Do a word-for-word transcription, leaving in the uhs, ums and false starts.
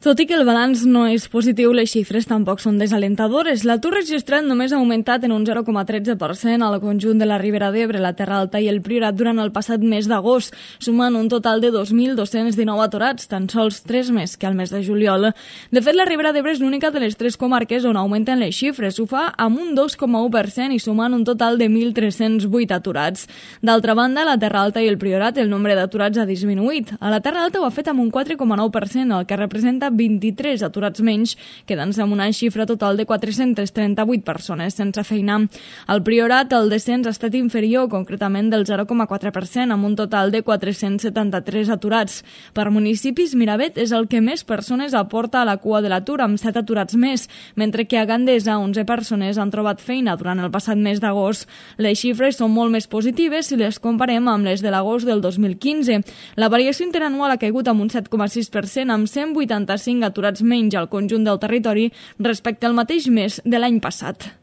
Tot i que el balanç no és positiu, les xifres tampoc són desalentadores. L'atur registrat només ha augmentat en un zero coma tretze per cent al conjunt de la Ribera d'Ebre, la Terra Alta i el Priorat durant el passat mes d'agost, sumant un total de dos mil dos-cents dinou aturats, tan sols tres més que al mes de juliol. De fet, la Ribera d'Ebre és l'única de les tres comarques on augmenten les xifres. Ho fa amb un dos coma u per cent i sumant un total de mil tres-cents vuit aturats. D'altra banda, a la Terra Alta i el Priorat el nombre d'aturats ha disminuït. A la Terra Alta ho ha fet amb un quatre coma nou per cent, el que representa vint-i-tres aturats menys, quedant-se amb una xifra total de quatre-cents trenta-vuit persones sense feina. Al Priorat el descens ha estat inferior, concretament del zero coma quatre per cent, amb un total de quatre-cents setanta-tres aturats. Per municipis, Miravet és el que més persones aporta a la cua de l'atur, amb set aturats més, mentre que a Gandesa onze persones han trobat feina durant el passat mes d'agost. Les xifres són molt més positives si les comparem amb les de l'agost del dos mil quinze. La variació interanual ha caigut amb un set coma sis per cent, amb cent vuitanta-cinc aturats menys al conjunt del territori respecte al mateix mes de l'any passat.